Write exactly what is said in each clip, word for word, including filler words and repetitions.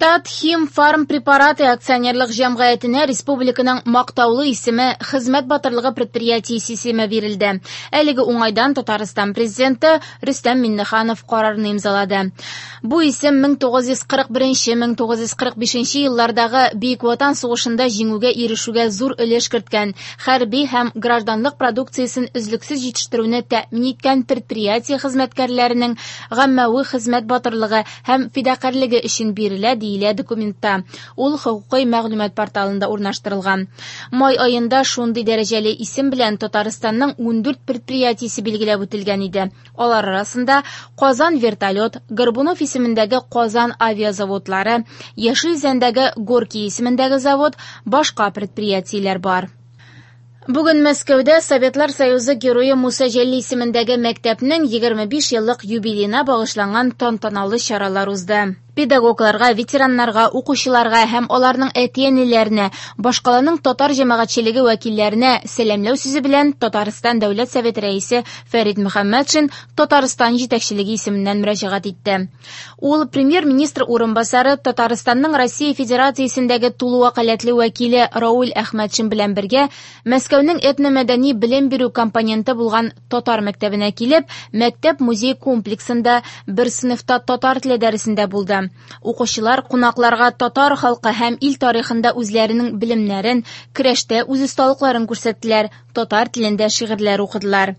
Татхимфармпрепараты акционерлык җәмгыятенә республиканың мактаулы исеме «Хезмәт батырлыгы предприятиесе» исеме бирелде. Әлеге уңайдан Татарстан президенты Рөстәм Миңнеханов карарны имзалады. Бу исем мең тугыз йөз кырык беренче, мең тугыз йөз кырык бишенче еллардагы Бөек Ватан сугышында җиңүгә ирешүгә зур өлеш керткән, хәрби һәм гражданлык продукциясен өзлексез җитештерүне тәэмин иткән предприятие хезмәткәрләренең гаммәви хезмәт батырлыгы һәм фидакарьлеге өчен бирелә, диелә документта. Ул хокукый мәгълүмат порталында урнаштырылган. Май аенда шундый дәрәҗәле исем белән Татарстанның ундүрт предприятиесе билгеләп үтелгән иде. Алар арасында Казан вертолет, Горбунов исемендәге Казан авиазаводлары, Яшел Үзәндәге Горький исемендәге завод, башка предприятиеләр бар. Бүген Мәскәүдә Советлар Союзы герое Муса Җәлил исемендәге мәктәпнең егерме биш еллык юбилеена багышланган тантаналы чаралар узды. Педагогларга, ветераннарга, укучыларга һәм аларның әти-әниләренә, башкаланың татар җәмәгатьчелеге вәкилләренә сәламләү сүзе белән Татарстан Дәүләт Советы рәисе Фәрит Мөхәммәтшин Татарстан җитәкчелеге исеменнән мөрәҗәгать итте. Ул премьер-министр урынбасары Татарстанның Россия Федерациясендәге тулы вәкаләтле вәкиле Рауль Әхмәтшин белән бергә Мәскәүнең этномәдәни белем бирү компоненты булган татар мәктәбенә килеп, мәктәп музей комплексында бер сыйныфта татар теле дәресендә булды. Укучылар кунакларга татар халкы һәм ил тарихында үзләренең белемнәрен, көрәштә үз осталыкларын күрсәттеләр, татар телендә шигырьләр укыдылар.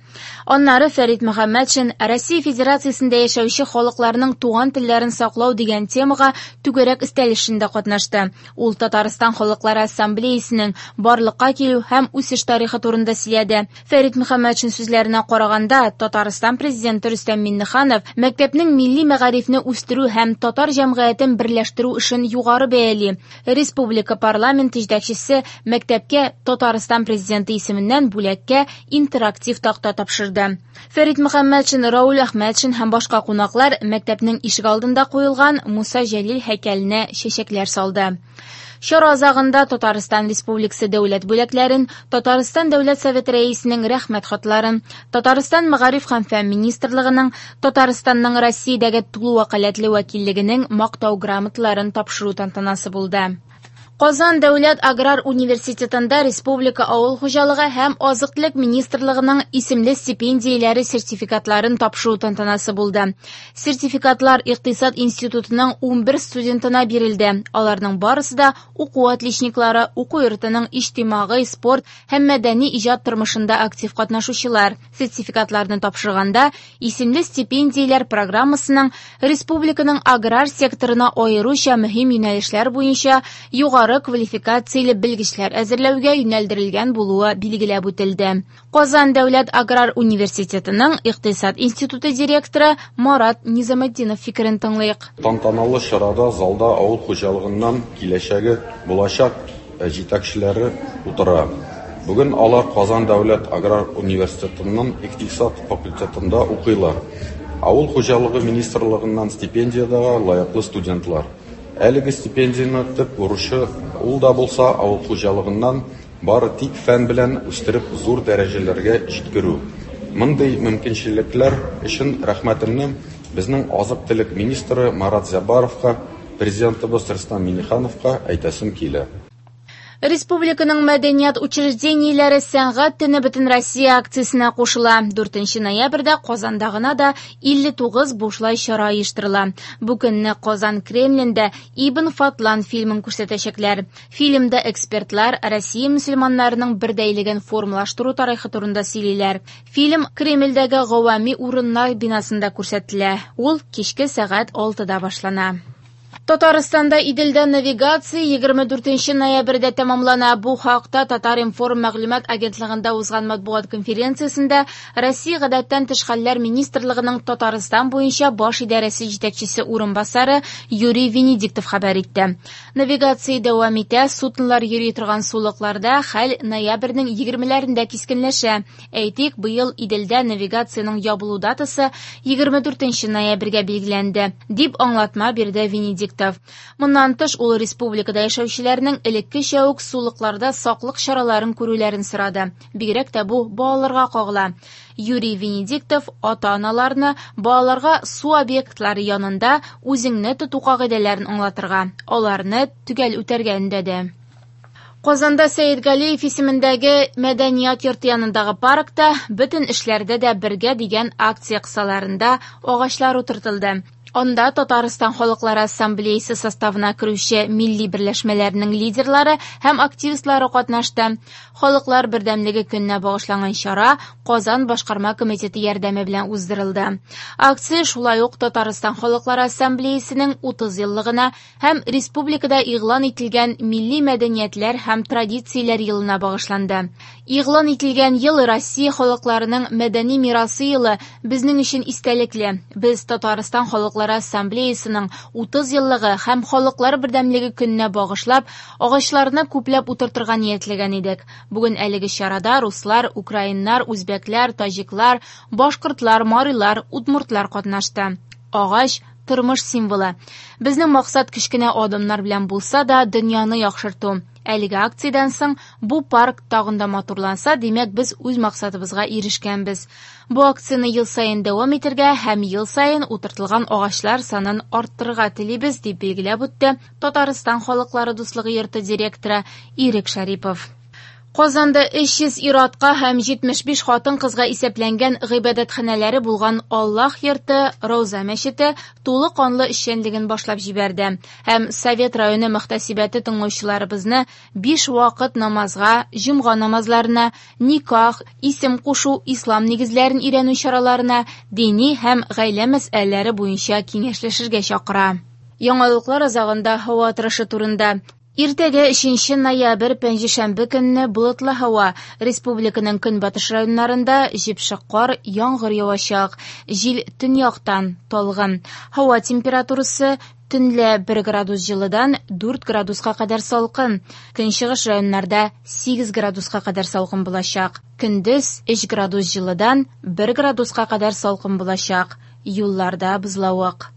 Аннары Фәрит Мөхәммәтшин Россия Федерациясендә яшәүче халыкларның туган телләрен саклау дигән темага түгәрәк өстәл эшендә катнашты. Ул Татарстан халыклары ассамблеясының барлыкка килү һәм үсеш тарихы турында сөйләде. Фәрит Мөхәммәтшин сүзләренә караганда, Татарстан президенты Рөстәм Миңнеханов мәктәпнең милли мәгарифне үстерү һәм татар җәмгыятен берләштерү эшен югары бәяли. Республика парламенты җитәкчесе мәктәпкә Татарстан президенты исеменнән бүләккә интерактив такта тапшырды. Фәрит Мөхәммәтшин, Рауль Әхмәтшин һәм башка кунаклар мәктәпнең ишек алдында куелган Муса Җәлил һәйкәленә чәчәкләр салды. Чара азагында Татарстан Республикасы дәүләт бүләкләрен, Татарстан Дәүләт Советы рәисенең рәхмәт хатларын, Татарстан Мәгариф һәм фән министрлыгының, Татарстанның Россиядәге тулы вәкаләтле вәкиллегенең мактау грамоталарын тапшыру тантанасы булды. Казан Дәүләт аграр университетында Республика авыл хуҗалыгы һәм азык-төлек министрлыгының исемле стипендияләре сертификатларын тапшыру тантанасы булды. Сертификатлар Икътисад институтының унбер студентына бирелде. Аларның барысы да уку отличниклары, уку йортының иҗтимагый, спорт һәм мәдәни иҗат тормышында актив катнашучылар. Сертификатларны тапшырганда исемле стипендияләр программасының республиканың аграр секторына аеруча мөһим юнәлешләр буенча югары квалификацияле белгечләр әзерләүгә юнәлдерелгән булуы билгеләп үтелде. Казан Дәүләт аграр университетының Икътисад институты директоры Марат Низаметдинов фикерен тыңлыйк. Тантаналы чарада залда авыл хуҗалыгыннан киләчәге булачак җитәкчеләре утыра. Бүген алар Казан Дәүләт аграр университетының икътисад факультетында укыйлар. Авыл хуҗалыгы министрлыгыннан стипендиягә лаеклы студентлар. Әлеге стипендияне төп бурычы ул да булса авыл хуҗалыгыннан бары тик фән белән үстереп зур дәрәҗәләргә җиткерү. Мондый мөмкинчелекләр өчен рәхмәтемне безнең азык-төлек министры Марат Зяббаровка, президентыбыз Рөстәм Миңнехановка әйтәсем килә. Республиканың мәдәният учреждениеләре сәнгать төне бөтен Россия акциясенә кушыла. Дүртенче ноябрьдә Казанда гына да илле тугыз бушлай чара оештырыла. Бу көнне Казан Кремлендә Ибн Фатлан фильмын күрсәтәчәкләр. Фильмда экспертлар Россия мөселманнарының бердәйлеген формалаштыру тарихы турында сөйлиләр. Фильм Кремльдәге гавами урыннар бинасында күрсәтелә. Ул кичке сәгать алтыда башлана. Татарстанда Иделдә навигация егерме дүртенче ноябрьдә тәмамлана. Бу хакта Татар-информ мәгълүмат агентлыгында узган матбугат конференциясендә Россия гадәттән тыш хәлләр министрлыгының Татарстан буенча баш идарәсе җитәкчесе урынбасары Юрий Венедиктов хәбәр итте. Навигация дәвам итә, суднолар йөри торган сулыкларда хәл ноябрьнең егермеләрендә кискенләшә. Әйтик, быел Иделдә навигациянең ябылу датасы егерме дүртенче ноябрьгә билгеләнде, дип аңлатма бирде Венедиктов. Венедиктов. Моннан тыш, ул республикада яшәүчеләрнең элеккечә үк сулыкларда саклык чараларын күрүләрен сорады. Бигрәк тә бу балаларга кагыла. Юрий Венедиктов ата-аналарны балаларга су объектлары янында үзеңне тоту кагыйдәләрен аңлатырга, аларны төгәл үтәргә өндәде. Казанда Сәетгалиев исемендәге мәдәният йорты янындагы паркта бөтен эшләрдә дә бергә дигән акция кысаларында агачлар утыртылды. Анда Татарстан Халыклары Ассамблеясы составына керүче милли берләшмәләрнең лидерлары һәм активистлары катнашты. Халыклар бердәмлеге көненә багышланган чара Казан башкарма комитеты ярдәме белән уздырылды. Акция шулай ук Татарстан Халыклары Ассамблеясының утыз еллыгына һәм республикада игълан ителгән милли мәдәниятләр һәм традицияләр елына багышланды. Игълан ителгән ел Россия халыкларының мәдәни мирасы елы безнең өчен истәлекле. Без Татарстан Халыклары Ассамблеясының утыз еллыгы һәм Халыклар бердәмлеге көненә багышлап, агачларны күпләп утыртырга ниятләгән идек. Бүген әлеге чарада руслар, украиннар, үзбәкләр, таҗиклар, башкортлар, марилар, удмуртлар катнашты. Агач тормыш символы. Безнең максат кечкенә адымнар белән булса да дөньяны яхшырту. Әлеге акциядән соң бу парк тагын да матурланса, димәк, без үз максатыбызга ирешкәнбез. Бу акцияне ел саен дәвам итәргә һәм ел саен утыртылган агачлар санын арттырырга телибез, дип билгеләп үтте Татарстан Халыклары дуслыгы йорты директоры Ирек Шарипов. Казанда өч йөз ир-атка һәм җитмеш биш хатын-кызга исәпләнгән гыйбадәтханәләре булган Аллаһ йорты Рауза мәчете тулы канлы эшчәнлеген башлап җибәрде. Һәм Совет районы мөхтәсибәте тыңлаучыларыбызны биш вакыт намазга, җомга намазларына, никах, исем кушу, ислам нигезләрен өйрәнү чараларына, дини һәм гаилә мәсьәләләре буенча киңәшләшергә чакыра. Яңалыклар азагында һава торышы турында. Иртәгә өченче ноябрь пәнҗешәмбе көнне болытлы һава. Республиканың көнбатыш районнарында җепшек кар, яңгыр явачак. Җил төньяктан талгын. Һава температурасы төнлә бер градус җылыдан дүрт градуска кадәр салкын. Көнчыгыш районнарда сигез градуска кадәр салкын булачак. Көндез өч градус җылыдан бер градуска кадәр салкын булачак. Юлларда бозлавык.